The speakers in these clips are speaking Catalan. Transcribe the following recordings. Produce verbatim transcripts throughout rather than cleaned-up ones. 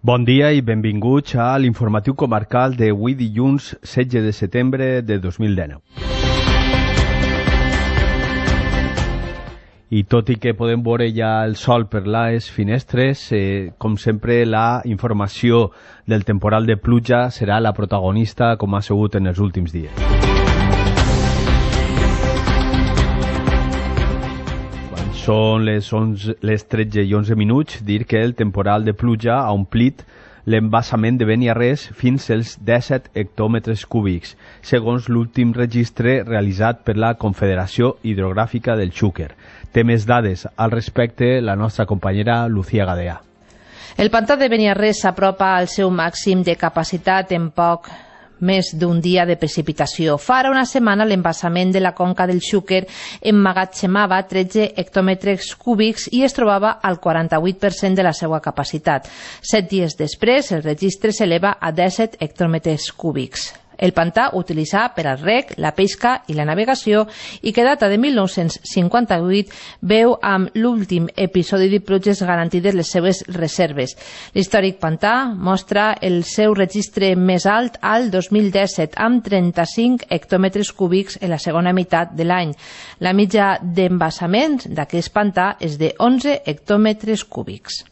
Bon dia i benvinguts a l'informatiu comarcal d'avui dilluns setze de setembre de dos mil dinou. I tot i que podem veure ja el sol per les finestres, eh, com sempre la informació del temporal de pluja serà la protagonista com ha sigut en els últims dies. Quan són les, onze, les tretze i onze minuts, dir que el temporal de pluja ha omplit l'embassament de Beniarrés fins als disset hectòmetres cúbics, segons l'últim registre realitzat per la Confederació Hidrogràfica del Xúquer. Té més dades al respecte la nostra companyera Lucía Gadea. El pantà de Beniarrés s'apropa al seu màxim de capacitat en poc més d'un dia de precipitació. Fa ara una setmana l'embassament de la conca del Xúquer emmagatzemava tretze hectòmetres cúbics i es trobava al quaranta-vuit per cent de la seva capacitat. Set dies després, el registre s'eleva a disset hectòmetres cúbics. El pantà utilitzat per al reg, la pesca i la navegació i que data de mil nou-cents cinquanta-vuit veu amb l'últim episodi de pluges garantides les seves reserves. L'històric pantà mostra el seu registre més alt al dos mil disset amb trenta-cinc hectòmetres cúbics en la segona meitat de l'any. La mitja d'embassament d'aquest pantà és de onze hectòmetres cúbics.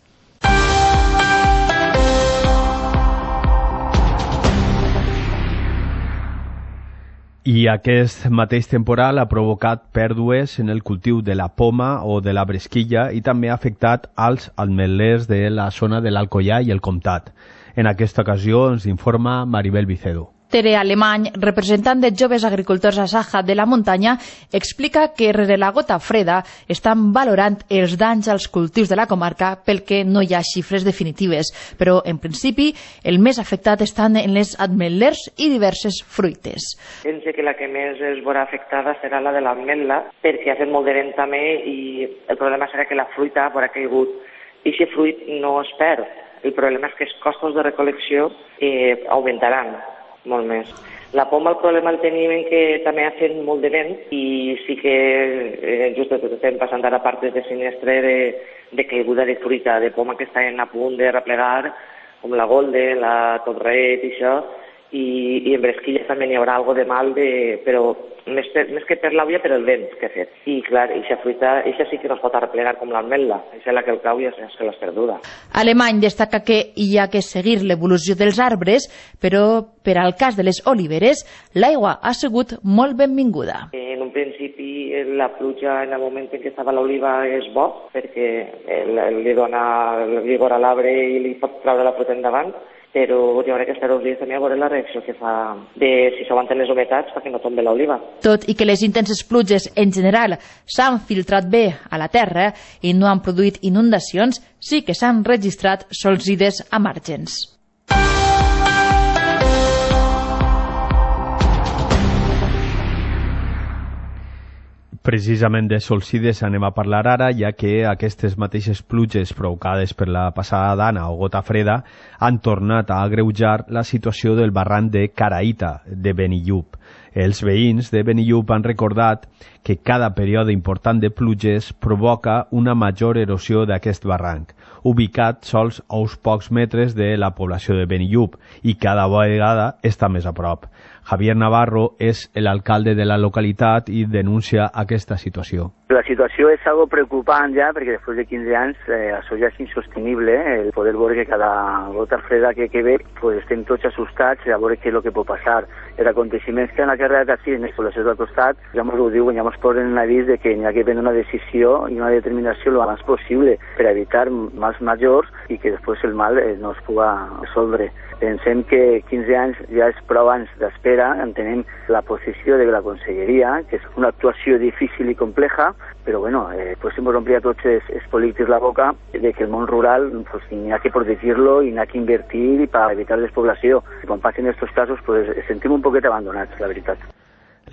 I aquest mateix temporal ha provocat pèrdues en el cultiu de la poma o de la bresquilla i també ha afectat als ametllers de la zona de l'Alcoià i el Comtat. En aquesta ocasió ens informa Maribel Vicedo. Tere Alemany, representant de joves agricultors a Saja de la Muntanya, explica que rere la gota freda estan valorant els danys als cultius de la comarca pel que no hi ha xifres definitives, però en principi el més afectat estan en les ametllers i diverses fruites. Pense que la que més es veurà afectada serà la de l'ametla, perquè ha fet molt de vent també i el problema serà que la fruita haurà caigut i si fruit no es perd. El problema és que els costos de recol·lecció eh, augmentaran molt més. La poma el problema el tenim en que també ha fet molt de vent i sí que eh, just estem passant ara partes de sinistre de, de caiguda de fruita, de poma que estan a punt de replegar, com la golden, la torret i això, i, i en bresquilla també n'hi haurà algo de mal, de, però més, per, més que per l'àvia, per el vent que ha fet. I clar, aquesta fruita, aquesta sí que no es pot arreplegar com l'ametla, aquesta és la que el cau i és que l'has perduda. Alemany destaca que hi ha que seguir l'evolució dels arbres, però per al cas de les oliveres, l'aigua ha sigut molt benvinguda. En un principi, la pluja en el moment en què estava l'oliva és bo, perquè li dona el vigor a l'arbre i li pot treure la fruita endavant, però hi haurà que estar uns dies també a veure la reacció que fa de si s'aguanten les humitats perquè no tombe l'oliva. Tot i que les intenses pluges en general s'han filtrat bé a la terra i no han produït inundacions, sí que s'han registrat solsides a margens. Precisament de solsides anem a parlar ara, ja que aquestes mateixes pluges provocades per la passada dana o gota freda han tornat a agreujar la situació del barranc de Caraïta, de Benillup. Els veïns de Benillup han recordat que cada període important de pluges provoca una major erosió d'aquest barranc, ubicat sols a uns pocs metres de la població de Benillup i cada vegada està més a prop. Javier Navarro és l'alcalde de la localitat i denuncia aquesta situació. La situació és algo preocupant ja, perquè després de quinze anys eh, això ja és insostenible, eh? El poder veure que cada gota freda que, que ve pues, estem tots assustats a veure què és el que pot passar. Els aconteixements que han acarreat així en les poblacions del costat ja ens ho diuen, ja ens posen en l'avís de que hi ha que prendre una decisió i una determinació el més possible per evitar mals majors i que després el mal eh, no es pugui resoldre. Pensem que quinze anys ja és prou anys d'espera, entenem la posició de la Conselleria, que és una actuació difícil i compleja, però bueno, eh, pues hemos omplert a tots els, els polítics la boca de que el món rural pues, n'hi ha que protegir-lo i n'hi ha que invertir per evitar despoblació. I quan passen aquests casos pues, sentim un poquet abandonats, la veritat.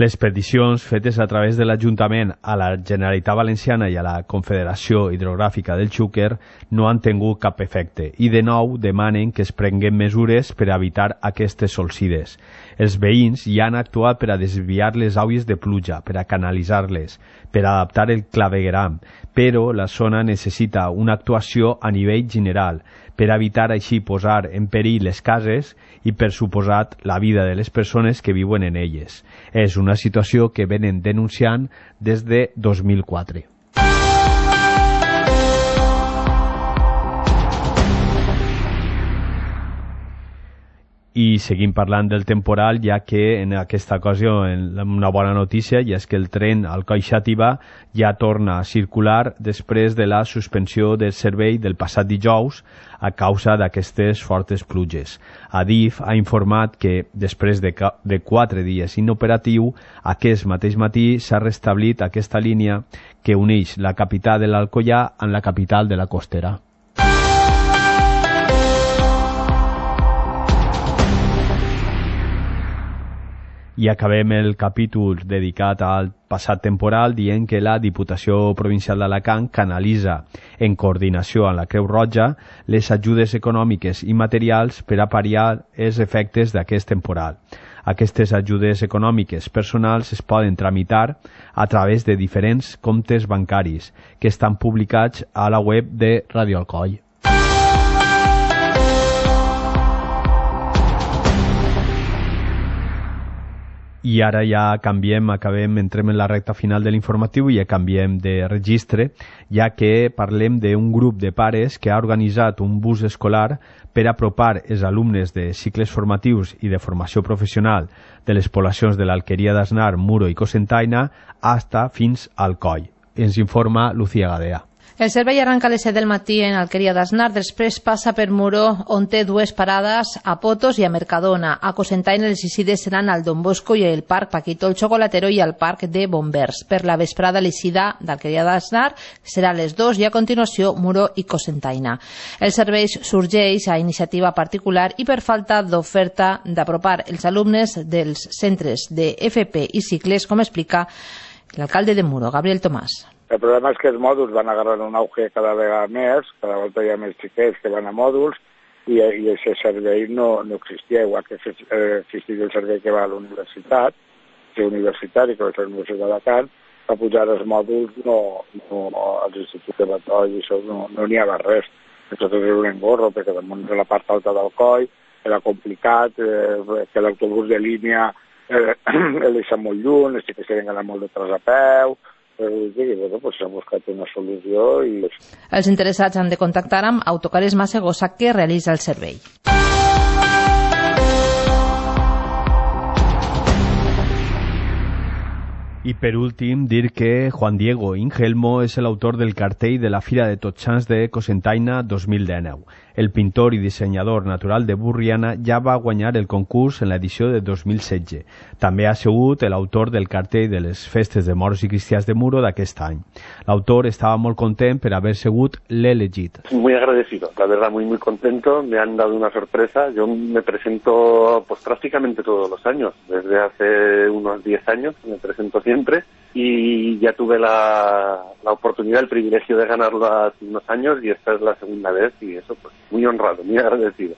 Les peticions fetes a través de l'Ajuntament a la Generalitat Valenciana i a la Confederació Hidrogràfica del Xúquer no han tingut cap efecte i de nou demanen que es prenguen mesures per a evitar aquestes solsides. Els veïns ja han actuat per a desviar les aigües de pluja, per a canalitzar-les, per a adaptar el clavegueram, però la zona necessita una actuació a nivell general per evitar així posar en perill les cases i, per suposat, la vida de les persones que viuen en elles. És una situació que venen denunciant des de dos mil quatre. I seguim parlant del temporal, ja que en aquesta ocasió una bona notícia, i és que el tren Alcoi-Xàtiva ja torna a circular després de la suspensió del servei del passat dijous a causa d'aquestes fortes pluges. Adif ha informat que després de, de quatre dies inoperatiu, aquest mateix matí s'ha restablit aquesta línia que uneix la capital de l'Alcoià amb la capital de la Costera. I acabem el capítol dedicat al passat temporal dient que la Diputació Provincial d'Alacant canalitza, en coordinació amb la Creu Roja, les ajudes econòmiques i materials per a pal·liar els efectes d'aquest temporal. Aquestes ajudes econòmiques personals es poden tramitar a través de diferents comptes bancaris que estan publicats a la web de Radio Alcoi. I ara ja canviem, acabem, entrem en la recta final de l'informatiu i ja canviem de registre, ja que parlem d'un grup de pares que ha organitzat un bus escolar per apropar els alumnes de cicles formatius i de formació professional de les poblacions de l'Alqueria d'Asnar, Muro i Cocentaina hasta fins al Alcoi. Ens informa Lucía Gadea. El servei arranca a les set del matí en Alqueria d'Asnar, després passa per Muro, on té dues parades, a Potos i a Mercadona. A Cocentaina les eixides seran al Don Bosco i el Parc Paquito el Chocolatero i al Parc de Bombers. Per la vesprada l'eixida d'Alqueria d'Asnar serà a les dues i a continuació Muro i Cocentaina. El servei sorgeix a iniciativa particular i per falta d'oferta d'apropar els alumnes dels centres de F P i cicles, com explica l'alcalde de Muro, Gabriel Tomàs. El problema és que els mòduls van agarrar un auge cada vegada més, cada volta hi ha més xiquets que van a mòduls i, i aquest servei no, no existia, igual que existia el servei que va a l'universitat, que és universitari, que va a la Universitat d'Alacant, a pujar els mòduls no, no, als instituts de Batall i això no n'hi no havia res. Nosaltres era un engorro, perquè damunt de la part alta del coll era complicat, eh, que l'autobús de línia eh, el deixa molt lluny, els xiquets tenen d'anar molt de tras a peu. I bueno, pues s'ha buscat una solució i... Els interessats han de contactar amb Autocares Massegosa, que realitza el servei. I per últim, dir que Juan Diego Ingelmo és l'autor del cartell de la Fira de Tots Sants de Cocentaina dos mil dinou. El pintor i dissenyador natural de Burriana ja va guanyar el concurs en l'edició de dos mil setze. També ha sigut l'autor del cartell de les festes de moros i cristians de Muro d'aquest any. L'autor estava molt content per haver sigut l'elegit. Muy agradecido, la verdad, muy muy contento. Me han dado una sorpresa. Yo me presento pues prácticamente todos los años. Desde hace unos diez años me presento siempre y ya tuve la, la oportunidad, el privilegio de ganarlo hace unos años y esta es la segunda vez y eso pues muy honrado, muy agradecido.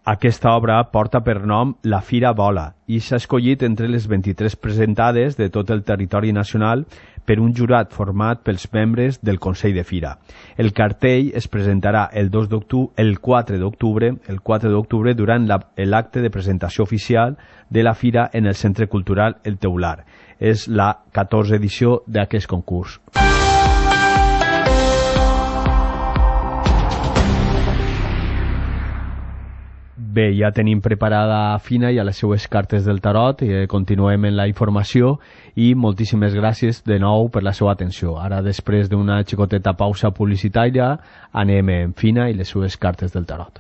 Aquesta obra porta per nom La Fira Vola i s'ha escollit entre les vint-i-tres presentades de tot el territori nacional per un jurat format pels membres del Consell de Fira. El cartell es presentarà el, dos d'octubre, el quatre d'octubre el quatre d'octubre durant l'acte de presentació oficial de la Fira en el Centre Cultural El Teular. És la catorzena edició d'aquest concurs. Bé, ja tenim preparada Fina i a les seues cartes del tarot i continuem en la informació i moltíssimes gràcies de nou per la seva atenció. Ara, després d'una xicoteta pausa publicitària, anem en Fina i les seues cartes del tarot.